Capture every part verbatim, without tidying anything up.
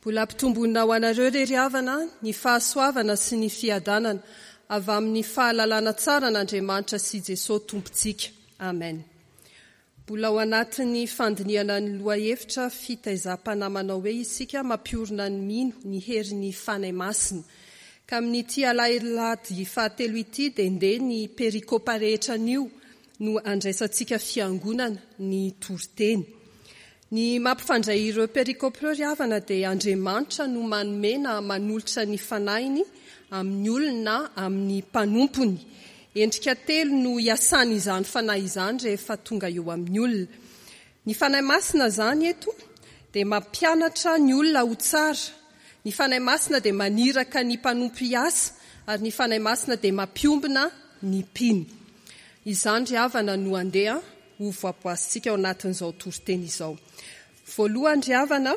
Mbola ampitomboina ho anareo re ry havana ny fahasoavana sy ny fiadanana avy amin'ny fahalalana tsara an'Andriamanitra sy Jesosy Tompontsika. Amen. Mbola ao anatin'ny fandinihana ny lohahevitra fitaizam-panahy manao hoe isika mampiorina ny mino ny herin'ny Fanahy Masina. Ka amin'ity alahady fahatelo ity dia ndeha ny perikopa rehetra anio no andraisantsika fiangonana ny toriteny. Ny mampifandray ireo perikopa ireo ry havana dia Andriamanitra no manome na manolotra ny fanahiny amin'ny olona amin'ny mpanompony. Endrika telo no hiasany izany fanahy izany rehefa tonga eo amin'ny olona. Ny Fanahy Masina izany eto dia mampianatra ny olona ho tsara. Ny Fanahy Masina dia maniraka ny mpanompo hiasa ary ny Fanahy Masina dia mampiombona ny mpino. Izany ry havana no andeha ho voaboasintsika ao anatin'izao toriteny izao. Voalohany ry havana,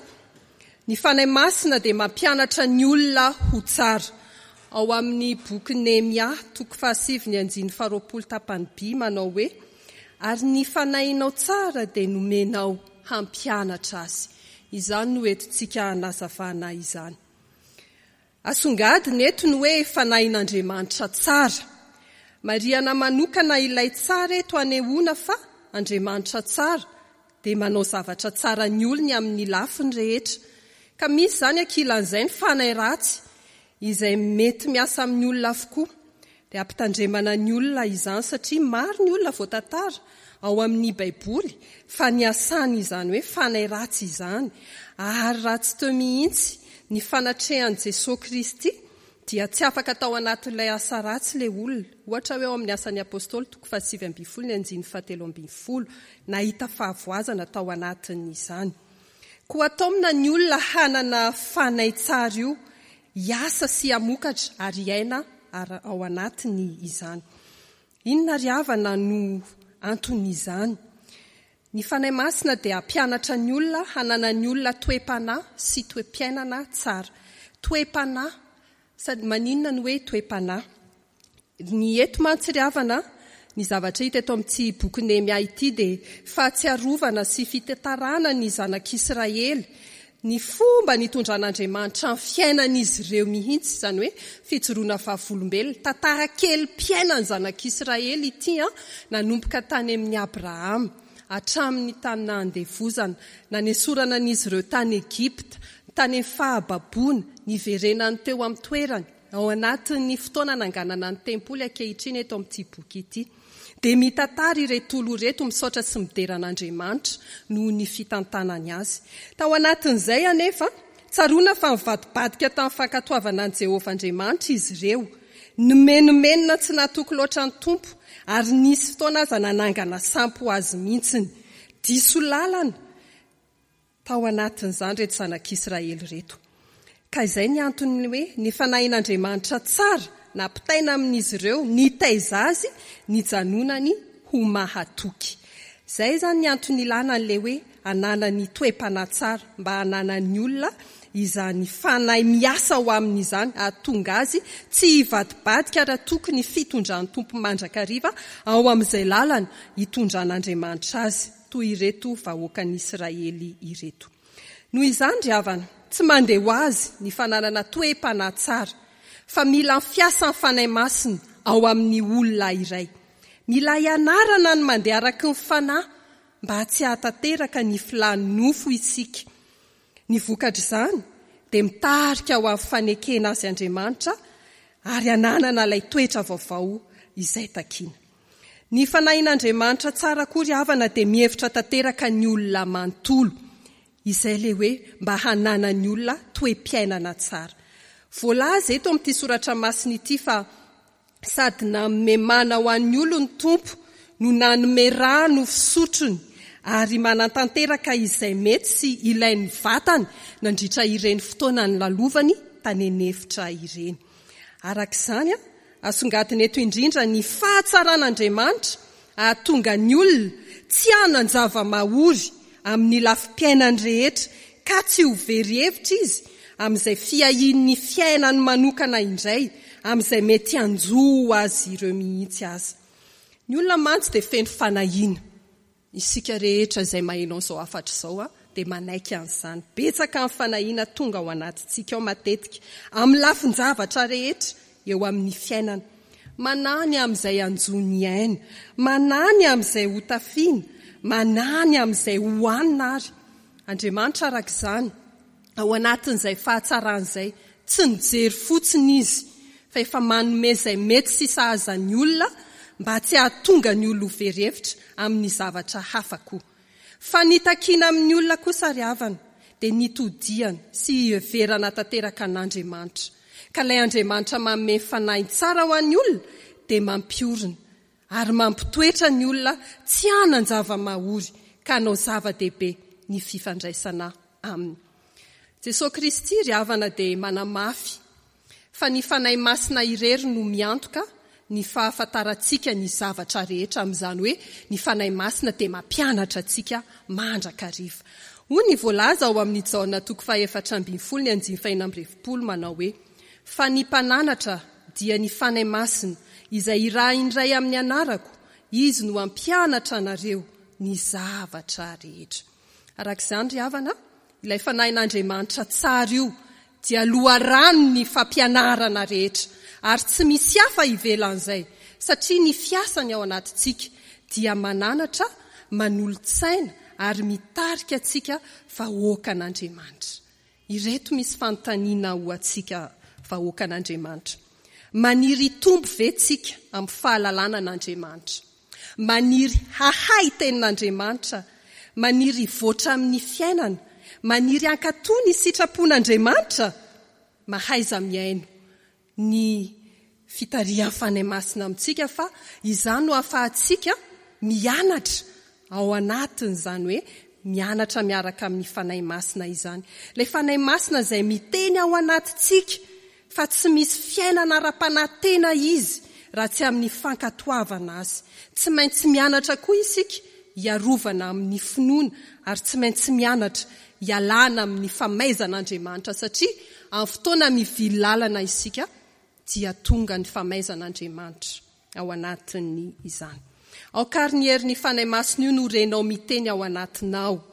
ny Fanahy Masina dia mampianatra ny olona ho tsara. Ao amin'ny boky Nehemia, toko fahasivy ny andininy faharoapolo tapany B manao hoe ary ny fanahinao tsara dia nomenao hampianatra azy. Izany no entintsika hanazavana izany. Asongadina eto ny hoe fanahin'Andriamanitra tsara. Marihana manokana ilay tsara eto anehoana fa Andriamanitra tsara dia manao zavatra tsara ny olony amin'ny lafiny rehetra. Ka misy izany ankilan'izay ny fanahy ratsy izay mety miasa amin'ny olona avokoa. Dia ampitandremana ny olona izany satria maro ny olona voatantara ao amin'ny Baiboly fa niasany izany hoe fanahy ratsy izany. Ary raha tsy teo mihitsy ny fanatrehan'i Jesosy Kristy dia tsy afaka tao anatin'ilay asa ratsy ilay olona. Ohatra hoe ao amin'ny asan'ny Apôstôly toko fahasivy ambin'ny folo ny andininy fahatelo ambin'ny folo nahita fahavoazana tao anatin'izany. Koa taomina ny olona hanana fanahy tsara io, hiasa sy hamokatra ary hiaina ao anatiny izany. Inona ry havana no anton'izany? Ny Fanahy Masina dia hampianatra ny olona hananan'ny olona toe-panahy sy toe-piainana tsara. Toe-panahy, sady maninona ny hoe toe-panahy? Ny eto mantsy ry havana, ny zavatra hita eto amin'ity boky Nehemia ity dia fahatsiarovana sy fitantarana ny zanak'Israely, ny fomba nitondran'Andriamanitra ny fiainan'izy ireo mihitsy, izany hoe fijoroana vavolombelona, tantara kelim-piainan'ny zanak'Israely ity an, nanomboka tany amin'i Abrahama, hatramin'ny tany nahandevozana, nanesorana an'izy ireo tany Egypta, tany amin'ny fahababoana, niverenany teo amin'ny toerany, ao anatin'ny fotoana nanganana ny tempoly ankehitriny eto amin'ity boky ity. Dia mitantara ireto olo ireto misaotra sy midera an'Andriamanitra noho ny fitantanany azy. Tao anatin'izay anefa, tsaroana fa nivadibadika tamin'ny fankatoavana an'i Jehovah Andriamanitra izy ireo. Nimenomenona tsy natoky loatra ny Tompo ary nisy fotoana aza nanangana sampy ho azy mihitsiny. Diso lalana tao anatin'izany ireto zanak'Israely ireto. Ka izay ny antony hoe ny fanahin'Andriamanitra tsara nampitaina amin'izy ireo nitaiza azy nijanonany ho mahatoky. Izay izany ny antony ilana an'ilay hoe ananany toe-panahy tsara mba hananan'ny olona izany fanahy miasa ho amin'izany hahatonga azy tsy hivadibadika raha tokony fitondran'ny Tompo mandrakariva ao amin'izay lalana hitondran'Andriamanitra azy toy ireto vahoakan'Israely ireto. Noho izany ry havana, tsy mandeha ho azy ny fananana toe-panahy tsara, fa mila ny fiasan'ny Fanahy Masina ao amin'ny olona iray. Mila ianarana ny mandeha araky ny fanahy mba tsy hahatanteraka ny filan'ny nofo isika. Ny vokatr'izany dia mitarika ho amin'ny fanekena azy Andriamanitra ary hananana ilay toetra vaovao izay takiana. Ny fanahin'Andriamanitra tsara koa ry havana dia mihevitra tanteraka ny olona manontolo. Izay ilay hoe mba hananan'ny olona toe-piainana tsara. Voalaza eto amin'ity soratra masina ity fa sady nanome mana ho an'ny olony Tompo no nanome rano fisotrony ary manatanteraka izay mety sy ilain'ny vatany nandritra ireny fotoana nilalovany tany an'efitra ireny. Araka izany, asongadina eto indrindra ny fahatsaran'Andriamanitra hahatonga ny olona tsy hanan-java-mahory amin'ny lafim-piainany rehetra ka tsy ho very hevitra izy amin'izay fiahian'ny fiainany manokana indray, amin'izay mety hanjo azy ireo mihitsy aza. Ny olona mantsy dia feno fanahiana. Isika rehetra izay maheno an'izao hafatra izao dia manaiky an'izany. Betsaka ny fanahiana tonga ao anatintsika ao matetika, amin'ny lafin-javatra rehetra eo amin'ny fiainana. Manahy ny amin'izay hanjo ny aina, manahy ny amin'izay ho tafiana, manahy ny amin'izay hohanina ary. Andriamanitra araka izany, ao anatin'izay fahatsarana izay, tsy nijery fotsiny izy, fa efa manome izay mety sy sahaza ny olona mba tsy hahatonga ny olona ho very hevitra amin'ny zavatra hafa koa. Fa ny takiana amin'ny olona kosa ry havana dia nitodihana sy hiheverana tanteraka an'Andriamanitra. Ka ilay Andriamanitra manome fanahy tsara ho an'ny olona dia mampiorina ary mampitoetra ny olona tsy hanan-java-mahory ka hanao zava-dehibe ny fifandraisana aminy. Jesosy Kristy ry havana dia manamafy fa ny Fanahy Masina irery no miantoka ny fahafantarantsika ny zavatra rehetra, amin'izany hoe ny Fanahy Masina dia mampianatra antsika mandrakariva. Hoy ny voalaza ao amin'ny Jaona toko fahaefatra ambin'ny folo ny andininy fahenina amby efapolo manao hoe: fa ny mpananatra dia ny Fanahy Masina izay irahin'ny Ray amin'ny anarako, izy no hampianatra anareo ny zavatra rehetra. Araka izany ry havana, ilay Fanahin'Andriamanitra tsara io dia loharano ny fampianarana rehetra ary tsy misy hafa ivelan'izay, satria ny fiasany ao anatintsika dia mananatra, manolo-tsaina ary mitarika antsika vahoakan'Andriamanitra. Ireto misy fanontaniana ho antsika vahoakan'Andriamanitra. Maniry hitombo ve tsika amin'ny fahalalana an'Andriamanitra? Maniry hahay tenin'Andriamanitra? Maniry hivoatra amin'ny fiainana? Maniry hankatò ny sitrapon'Andriamanitra? Mahaiza mihaino ny fitarihan'ny Fanahy Masina amintsika, fa izany no ahafahantsika mianatra ao anatin'izany hoe mianatra miaraka amin'ny Fanahy Masina izany. Ilay Fanahy Masina izay miteny ao anatintsika fa tsy misy fiainana ara-panahy tena izy raha tsy amin'ny fankatoavana azy. Tsy maintsy mianatra koa isika hiarovana amin'ny finoana ary tsy maintsy mianatra hialana amin'ny famaizan'Andriamanitra, satria amin'ny fotoana mivily lalana isika dia tonga ny famaizan'Andriamanitra ao anatin'ny izany. Aoka ary ny herin'ny Fanahy Masina io no renao miteny ao anatinao.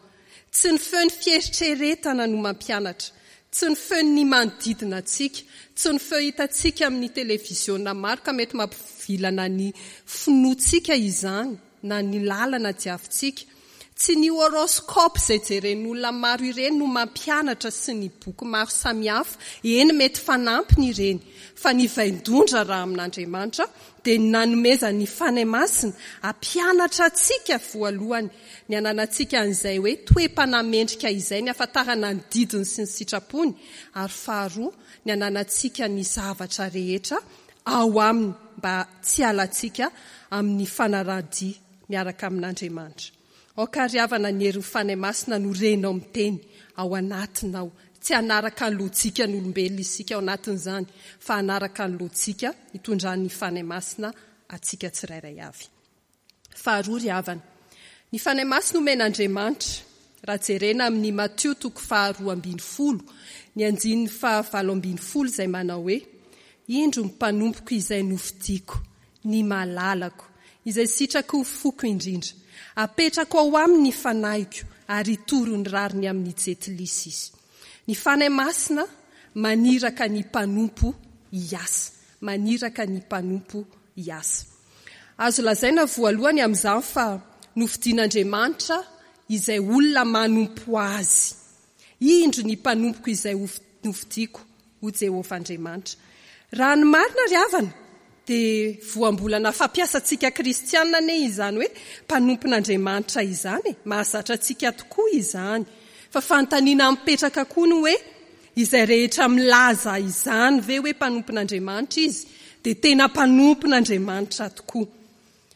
Tsy ny feon'ny fieritreretana no mampianatra, tsy ny feon'ny manodidina antsika, tsy ny feo hitantsika amin'ny televiziona maro ka mety mampivilana ny finoantsika izany na ny lalana diavintsika. Tsy ny horoscope izay jeren'olona maro ireny no mampianatra sy ny boky maro samihafa, eny mety fanampiny ireny, fa ny vain-dondra raha amin'Andriamanitra dia ny nanomezan'ny Fanahy Masina hampianatra antsika voalohany ny ananantsika an'izay hoe toe-panahy mendrika izay, ny ahafantarana ny didiny sy ny sitrapony, ary faharoa ny ananantsika ny zavatra rehetra ao aminy mba tsy halantsika amin'ny fanaradia miaraka amin'Andriamanitra. Aoka ary havana ny herin'ny Fanahy Masina no renao miteny ao anatinao. Tsy hanaraka ny lojika ny olombelona isika ao anatin'izany, fa hanaraka ny lojika hitondran'ny Fanahy Masina antsika tsirairay avy. Faharoa ry havana, ny Fanahy Masina omen'Andriamanitra, raha jerena amin'ny Matio toko faharoa ambin'ny folo, ny andininy fahavalo ambin'ny folo izay manao hoe: indro ny mpanompoko izay nofidiko, ny malalako, izay sitrako ho foko indrindra. Apetrako ao aminy ny fanahiko ary hitory ny rariny amin'ny jentilisa izy. Ny Fanahy Masina maniraka ny mpanompo hiasa, maniraka ny mpanompo hiasa. Azo lazaina voalohany amin'izany fa nofidin'Andriamanitra izay olona manompo azy. Indro ny mpanompoko izay nofidiko, ho Jehovah Andriamanitra. Raha ny marina ry havana dia voambolana fampiasantsika kristianina anie izany hoe mpanompon'Andriamanitra izany, mahazatra antsika tokoa izany. Fa fanontaniana mipetraka koa ny hoe izay rehetra milaza izany ve hoe mpanompon'Andriamanitra izy dia tena mpanompon'Andriamanitra tokoa.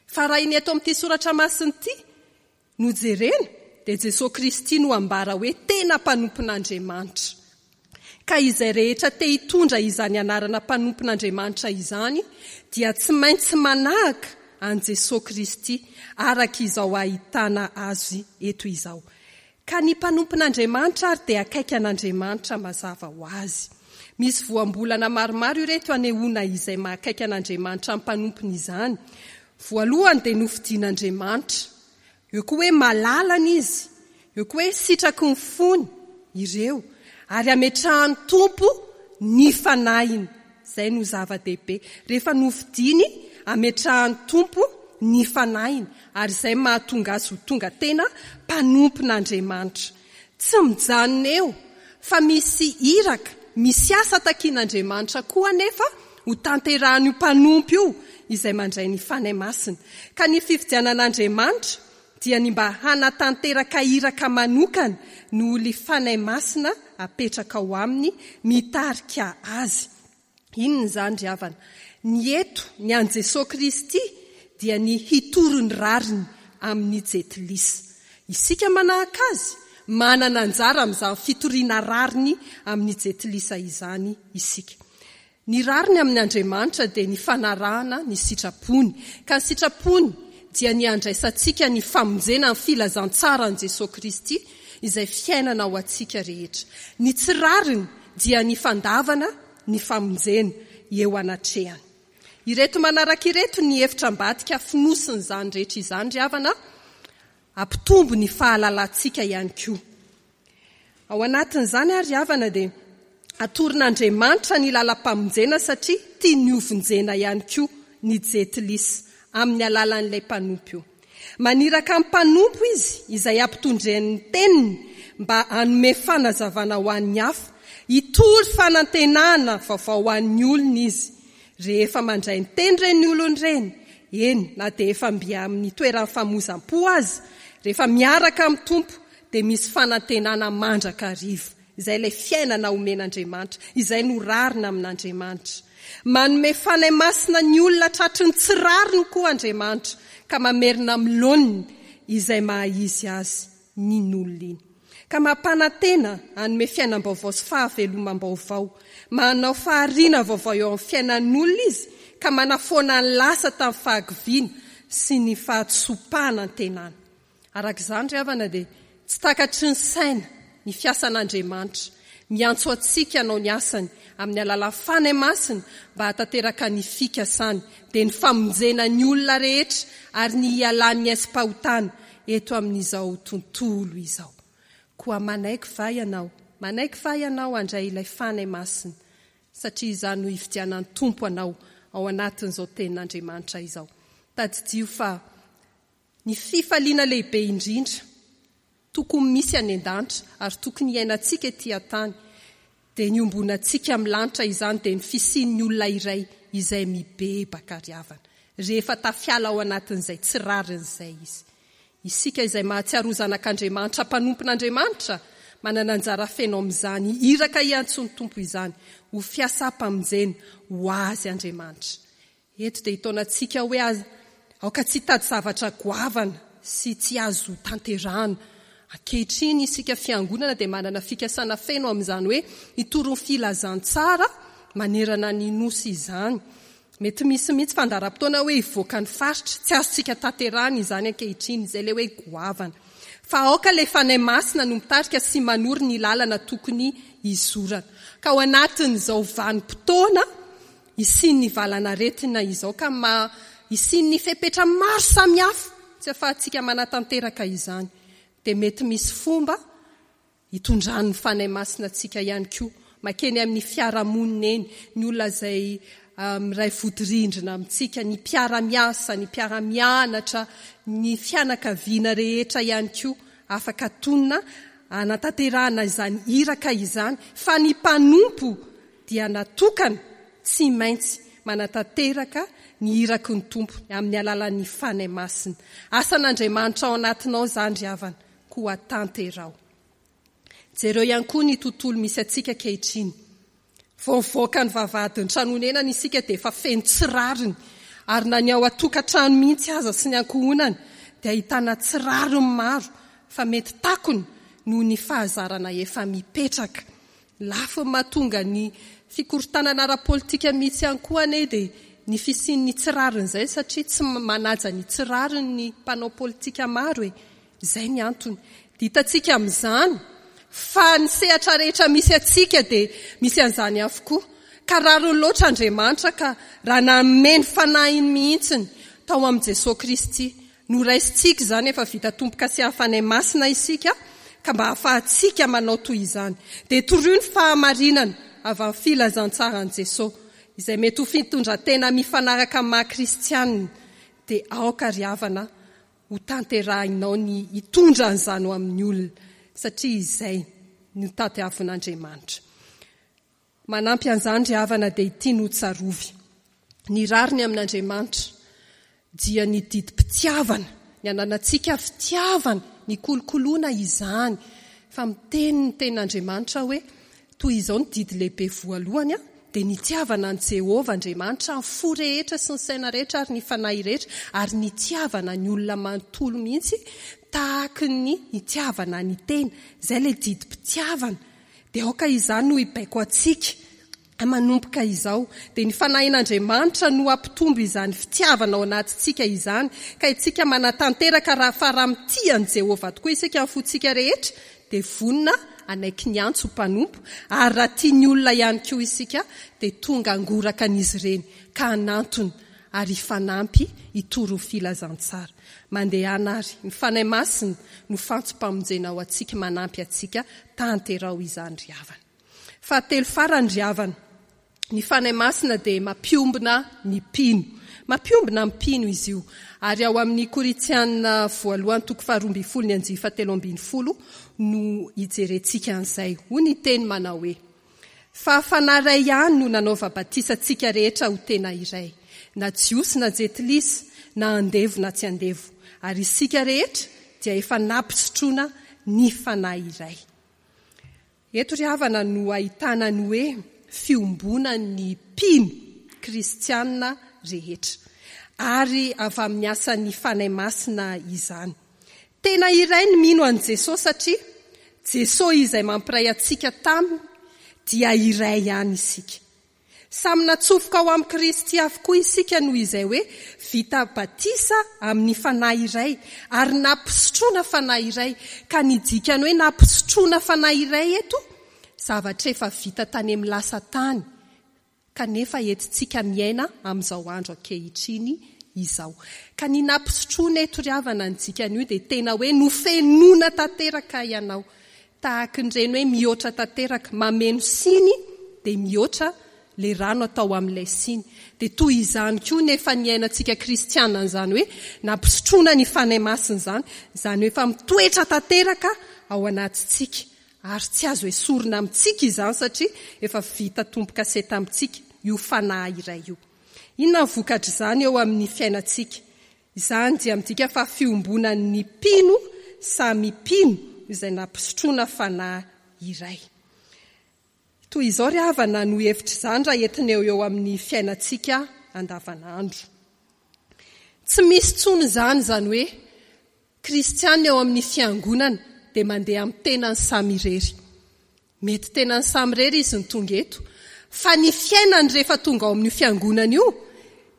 Fa raha iny eto amin'ity soratra masina ity no jerena dia Jesosy Kristy no ambara hoe tena mpanompon'Andriamanitra. Ka izay rehetra te hitondra izany anarana mpanompon'Andriamanitra izany dia tsy maintsy manahaka an'i Jesosy Kristy araka izao ahitana azy eto izao. Ka ny mpanompon'Andriamanitra ary dia akaiky an'Andriamanitra mazava ho azy. Misy voambolana maromaro ireto anehoana izay mahakaiky an'Andriamanitra amin'ny mpanompony izany. Voalohany dia nofidin'Andriamanitra. Eo koa hoe malalana izy. Eo koa hoe sitraky ny fony ireo ary ametrahan'ny Tompo ny fanahiny. Izay no zava-dehibe. Rehefa nofidiny, ametrahan'ny Tompo ny fanahiny ary izay mahatonga azy ho tonga tena mpanompon'Andriamanitra. Tsy mijanona eo fa misy iraka, misy asa takian'Andriamanitra koa anefa ho tanterahan'io mpanompo io izay mandray ny Fanahy Masina. Ka ny fifidianan'Andriamanitra dia ny mba hanatanteraka iraka manokana noho ilay Fanahy Masina apetraka ao aminy mitarika azy. Inona izany ry havana? Ny eto, ny an'i Jesoa Kristy dia ny hitory ny rariny amin'ny jentilisa. Isika manahaka azy, manana anjara amin'izany fitoriana rariny amin'ny jentilisa izany isika. Ny rariny amin'Andriamanitra dia ny fanarahana ny sitrapony. Ka ny sitrapony dia ny handraisantsika ny famonjena ny filazantsaran'i Jesoa Kristy izay fiainana ho antsika rehetra. Ny tsy rariny dia ny fandavana ny famonjena eo anatrehany. Ireto manaraka ireto ny hevitra ambadika fonosin'izany rehetra izany ry havana, hampitombo ny fahalalantsika ihany koa. Ao anatin'izany ary havana dia atoron'Andriamanitra ny lalam-pamonjena satria tiany hovonjena ihany koa ny jentilisa amin'ny alalan'ilay mpanompo io. Maniraka amin'ny mpanompo izy izay ampitondren'ny teniny mba hanome fanazavana ho an'ny hafa, hitory fanantenana vaovao ho an'ny olona izy. Rehefa mandray ny teny ireny olona ireny, eny na dia efa mby amin'ny toeran'ny famozam-po aza, rehefa miaraka amin'ny Tompo dia misy fanantenana mandrakariva. Izay ilay fiainana omen'Andriamanitra, izay no rarina amin'Andriamanitra. Manome Fanahy Masina ny olona tratry ny tsy rariny koa Andriamanitra, ka mamerina amin'ny laoniny izay maha izy azy ny olona iny. Ka mampanantena hanome fiainam-baovao sy fahavelomam-baovao. Manao fahariana vaovao eo amin'ny fiainan'olona izy, ka manafoana ny lasa tamin'ny fahakiviana sy ny fahadisoam-panantenana. Araka izany ry havana dia tsy takatry ny saina ny fiasan'Andriamanitra. Miantso antsika hanao ny asany amin'ny alalan'ny Fanahy Masina mba hahatanteraka ny fikasany, dia ny famonjena ny olona rehetra ary ny hialan'ny aizim-pahotana eto amin'izao tontolo izao. Koa manaiky va ianao? Manaiky va ianao handray ilay Fanahy Masina? Satria izany no hifidianan'ny Tompo anao ao anatin'izao tenin'Andriamanitra izao. Tadidio fa ny fifaliana lehibe indrindra tokony misy any an-danitra ary tokony hiainantsika ety an-tany dia ny ombonantsika amin'ny lanitra izany dia ny fisian'ny olona iray izay mibebaka ry havana rehefa tafiala ao anatin'izay tsy rarin'izay izy. Isika izay mahatsiaro ho zanak'Andriamanitra, mpanompon'Andriamanitra, manana anjara feno amin'izany iraka hiantsoan'ny Tompo izany ho fiasam-pamonjena ho azy Andriamanitra. Eto dia hitaona antsika hoe aoka tsy hitady zavatra goavana sy tsy azo tanterahana. Ankehitriny isika fiangonana dia manana fikasana feno amin'izany hoe hitory ny filazantsara manerana ny nosy izany. Mety misy mihitsy fandaharam-potoana hoe hivoaka ny faritra, tsy azontsika tanterahana izany ankehitriny, izay ilay hoe goavana. Fa aoka ilay Fanahy Masina no mitarika sy manoro ny lalana tokony hizorana. Ka ao anatin'izao vanim-potoana hisian'ny valan'aretina izao, ka ma hisian'ny fepetra maro samihafa tsy ahafahantsika manatanteraka izany, dia mety misy fomba hitondran'ny Fanahy Masina antsika ihany koa makeny amin'ny fiarahamonina eny, ny olona izay miray vodirindrina amintsika, ny mpiara-miasa, ny mpiara-mianatra, ny fianakaviana rehetra ihany koa afaka tonina hanatanterahana izany iraka izany, fa ny mpanompo dia natokana tsy maintsy manatanteraka ny iraky ny Tompo amin'ny alalan'ny Fanahy Masina. Asan'Andriamanitra ao anatinao izany ry havana, koa tanteraho. Jereo ihany koa ny tontolo misy antsika ankehitriny. Vao mivoaka ny vavahadin'ny trano honenana isika dia efa feno tsy rariny, ary na ny ao an-tokantrano mihitsy aza sy ny ankohonana dia ahitana tsy rariny maro fa mety takona noho ny fahazarana efa mipetraka. Lafiny mahatonga ny fikorontanana ara-politika mihitsy ihany koa anie dia ny fisian'ny tsy rariny izay, satria tsy manaja ny tsy rariny ny mpanao politika maro e. Izay ny antony. Dia hitantsika amin'izany fa ny sehatra rehetra misy antsika dia misy an'izany avokoa. Ka rariny loatra Andriamanitra ka raha nanome ny fanahiny mihitsiny tao amin'i Jesoa Kristy. Noraisintsika izany efa vita tombo-kasiahan'ny Fanahy Masina isika, Ka mba ahafahantsika manao toy izany, dia torio ny fahamarinana avy amin'ny filazantsaran'i Jesoa, izay mety ho fitondran-tena mifanaraka amin'ny maha kristianina, dia aoka ry havana ho tanterahinao ny hitondra an'izany ho amin'ny olona, satria izay no tadiavin'Andriamanitra. Manampy an'izany ry havana dia ity no tsarovy. Ny rariny amin'Andriamanitra dia ny didim-pitiavana, ny ananantsika fitiavana, ny kolokoloana izany. Fa miteny ny tenin'Andriamanitra hoe toy izao ny didy lehibe voalohany, dia nitiavana an'i Jehovah Andriamanitra amin'ny fo rehetra sy ny saina rehetra ary ny fanahy rehetra, ary nitiavana ny olona manontolo mihitsy tahaka ny nitiavana ny tena. Izay ilay didim-pitiavana. Dia aoka izany no hibaiko antsika manomboka izao. Dia ny fanahin'Andriamanitra no hampitombo izany fitiavana ao anatintsika izany, ka isika manatanteraka raha fa raha mitia an'i Jehovah tokoa isika amin'ny fontsika rehetra, dia vonona hanaiky ny antso ho mpanompo, ary raha tia ny olona ihany koa isika dia tonga hangoraka an'izy ireny ka hanantona ary hifanampy hitory ho filazantsara. Mandehana ary, ny Fanahy Masina no fantsom-pamonjena ho antsika, manampy antsika, tanteraho izany ry havana. Fahatelo farany ry havana, ny Fanahy Masina dia mampiombona ny mpino. Mampiombona ny mpino izy io. Ary ao amin'ny Korintiana voalohany toko faharoa ambin'ny folo ny andiany fahatelo ambin'ny folo no hijerentsika an'izay. Hoy ny teny manao hoe: fa Fanahy iray ihany no nanaova batisa antsika rehetra ho tena iray, na Jiosy na Jentilisa, na andevo na tsy andevo, ary isika rehetra dia efa nampisotroana ny Fanahy iray. Eto ry havana no ahitana ny hoe fiombonan'ny mpino kristianina rehetra, ary avy amin'ny asan'ny Fanahy Masina izany. Tena iray ny mino an'i Jesosy, satria Jesosy izay mampiray antsika taminy dia iray ihany isika. Samy natsofoka ao amin'i Kristy avokoa isika noho izay hoe vita batisa amin'ny Fanahy iray ary nampisotroana Fanahy iray. Ka ny dikany hoe nampisotroana Fanahy iray eto, zavatra efa vita tany amin'ny lasa tany, kanefa entintsika miaina amin'izao andro ankehitriny izao. Ka ny nampisotroana eto ry havana ny dikany io dia tena hoe nofenoina tanteraka ianao. Tahaka ny reny hoe mihoatra tanteraka, mameno siny dia mihoatra le rano atao amin'ilay siny. Dia toy izany koa nefa ny ainantsika kristiana izany hoe nampisotroana ny Fanahy Masina izany, izany hoe efa mitoetra tanteraka ao anatintsika. Ary tsy azo esorina amintsika izany satria efa vita tombo-kase tamintsika io Fanahy iray io. Inona ny vokatr'izany eo amin'ny fiainantsika? Izany dia midika fa fiombonan'ny mpino samy mpino izay nampisotroana Fanahy iray. Toy izao ry havana no hevitra izany raha entina eo eo amin'ny fiainantsika andavanandro. Tsy misy intsony izany, izany hoe kristiana eo amin'ny fiangonana dia mandeha amin'ny tenany samy irery. Mety tenany samy irery izy no tonga eto, fa ny fiainany rehefa tonga ao amin'io fiangonana io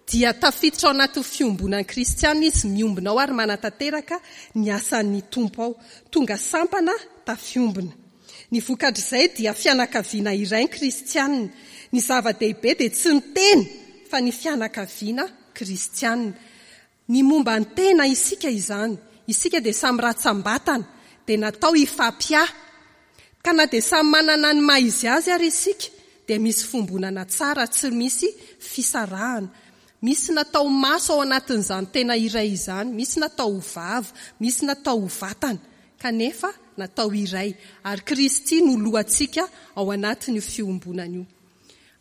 dia tafiditra ao anatin'ny fiombonan'ny kristiana izy, miombona ao ary manatanteraka ny asan'ny Tompo ao. Tonga sampana tafiombona. Ny vokatr'izay dia fianakaviana iray ny kristiana. Ny zava-dehibe dia tsy ny tena fa ny fianakaviana kristiana. Ny momba ny tena isika izany, isika dia samy ratsam-batana, dia natao hifampiahy. Ka na dia samy manana ny maha izy azy ary isika, dia misy fombonana tsara, tsy misy fisarahana. Misy natao maso ao anatin'izany tena iray izany, misy natao ho vava, misy natao ho vatana, kanefa natao iray. Ary Kristy no lohantsika ao anatin'io fiombonana io.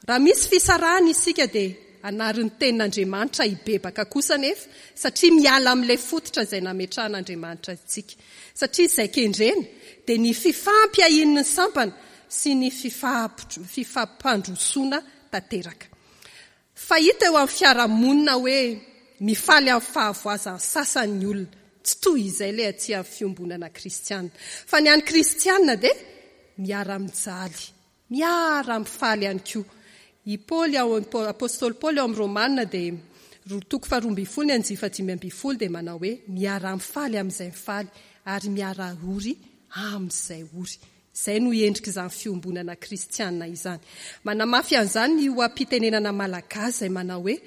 Raha misy fisarahana isika dia anarin'ny tenin'Andriamanitra hibebaka kosa nefa, satria miala amin'ilay fototra izay nametrahan'Andriamanitra antsika. Satria izay kendrena dia ny fifampiahian'ny sampana sy ny fifampitro-, fifampandrosoana tanteraka. Fa hita eo amin'ny fiarahamonina hoe mifaly amin'ny fahavoazan'ny sasany ny olona. Tsy toy izay ilay aty amin'ny fiombonana kristiana. Fa ny an'ny kristiana dia miara-mijaly, miara-mifaly ihany koa. I Paoly ao amin'ny Apostoly Paoly ao amin'ny Romana dia roa toko faharoa ambin'ny folo ny andiany fahadimy ambin'ny folo dia manao hoe miara-mifaly amin'izay mifaly ary miara-ory amin'izay ory. Izay no endrik'izany fiombonana kristiana izany. Manamafy an'izany ny oha-pitenenana malagasy izay manao hoe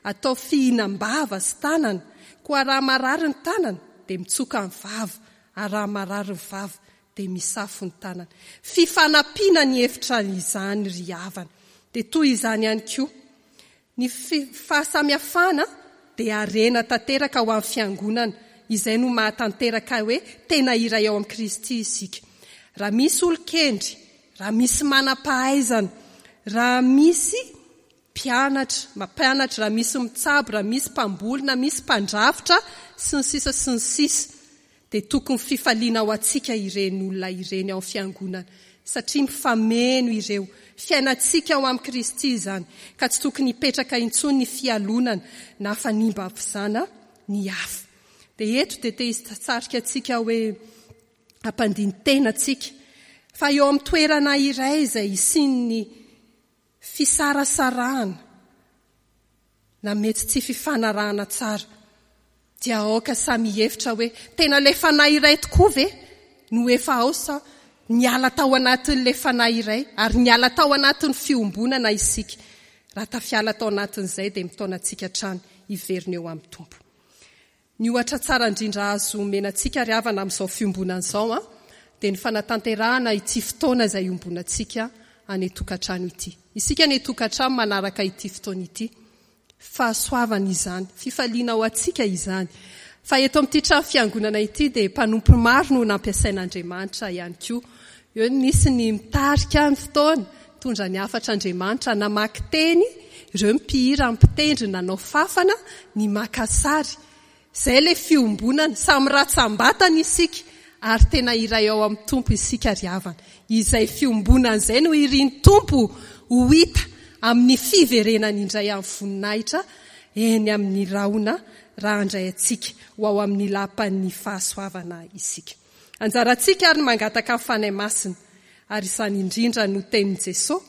atao fihinam-bava sy tanana, koa raha marary ny tanana dia mitsoka ny vava, ary raha marary ny vava Dia misafo ny tanana. Fifanampiana ny hevitra izany ry havana. Dia toy izany ihany koa. Ny fahasamihafana dia harena tanteraka ho amin'ny fiangonana. Izay no mahatanteraka hoe tena iray ao amin'i Kristy isika. Raha misy olon-kendry, raha misy manam-pahaizana, raha misy mpianatra, mampianatra, raha misy mitsabo, raha misy mpamboly, na misy mpandrafitra, sy ny sisa sy ny sisa, dia tokony fifaliana ho antsika ireny olona ireny ao fiangonana, satria mifameno ireo. Fiainantsika ao amin'i Kristy izany, ka tsy tokony hipetraka intsony ny fialonana na fanimbavizana ny hafa. Dia eto dia te hisarika antsika hoe hampandini-tena antsika, fa eo amin'ny toerana iray izay hisian'ny fisarasarahana na mety tsy fifanarahana tsara, dia aoka samy hihevitra hoe tena ilay fanahy iray tokoa ve no efa ao sa niala tao anatin'ilay fanahy iray ary niala tao anatin'ny fiombonana isika. Raha tafiala tao anatin'izay dia mitaona antsika hatrany hiverina eo amin'ny Tompo. Ny ohatra tsara indrindra azo omena antsika ry havana amin'izao fiombonana izao a dia ny fanatanterahana ity fotoana izay iombonantsika any an-tokantrano ity. Isika any an-tokantrano manaraka ity fotoana ity. Fahasoavana izany, fifaliana ho antsika izany. Fa eto amin'ity trano fiangonana ity dia mpanompo maro no nampiasain'Andriamanitra ihany koa. Eo nisy ny mitarika ny fotoana, mitondra ny hafatr'Andriamanitra, namaky teny, ireo mpihira mpitendry nanao fafana, ny maka sary. Izay ilay fiombonana, samy ratsam-batana isika ary tena iray ao amin'ny Tompo isika ry havana. Izay fiombonana izay no irin'ny Tompo ho hita amin'ny fiverenany indray amin'ny voninahitra eny amin'ny rahona raha handray antsika ho ao amin'ny lapan'ny fahasoavana isika. Anjarantsika ary ny mangataka ny Fanahy Masina, ary izany indrindra no tenin'i Jesosy,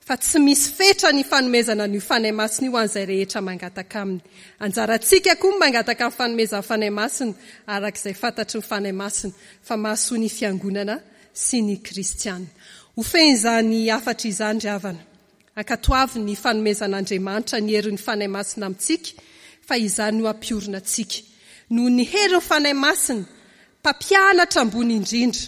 fa tsy misy fetra ny fanomezana an'io Fanahy Masina io ho an'izay rehetra mangataka aminy. Anjarantsika koa ny mangataka ny fanomezan'ny Fanahy Masina, araka izay fantatry ny Fanahy Masina, fa mahasoa ny fiangonana sy ny kristiana. Ho fehiny izany hafatra izany ry havana. Ankatoavy ny fanomezan'Andriamanitra ny herin'ny Fanahy Masina amintsika, fa izany no hampiorina antsika. Noho ny herin'ny Fanahy Masina, mpampianatra ambony indrindra,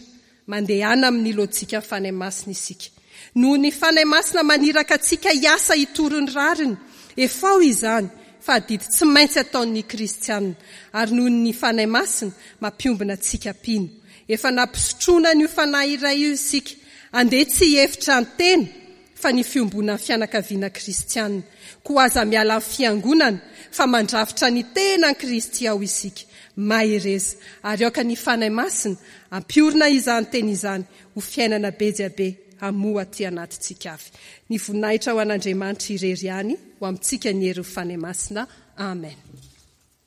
mandehana amin'ny lojika ny Fanahy Masina isika. Noho ny Fanahy Masina maniraka antsika hiasa hitory ny rariny, efao izany, fa adidy tsy maintsy ataon'ny kristianina. Ary noho ny Fanahy Masina mampiombona antsika mpino. Efa nampisotroana an'io Fanahy iray io isika, andeha tsy hihevitra ny tena, fa ny fiombonan'ny fianakaviana kristianina. Koa aza miala amin'ny fiangonana, fa mandrafitra ny tenan'i Kristy ao isika. Mahereza, ary aoka ny Fanahy Masina hampiorina izany teny izany ho fiainana be dia be hamoa aty anatintsika avy. Ny voninahitra ho an'Andriamanitra irery ihany, ho amintsika ny herin'ny Fanahy Masina. Amen.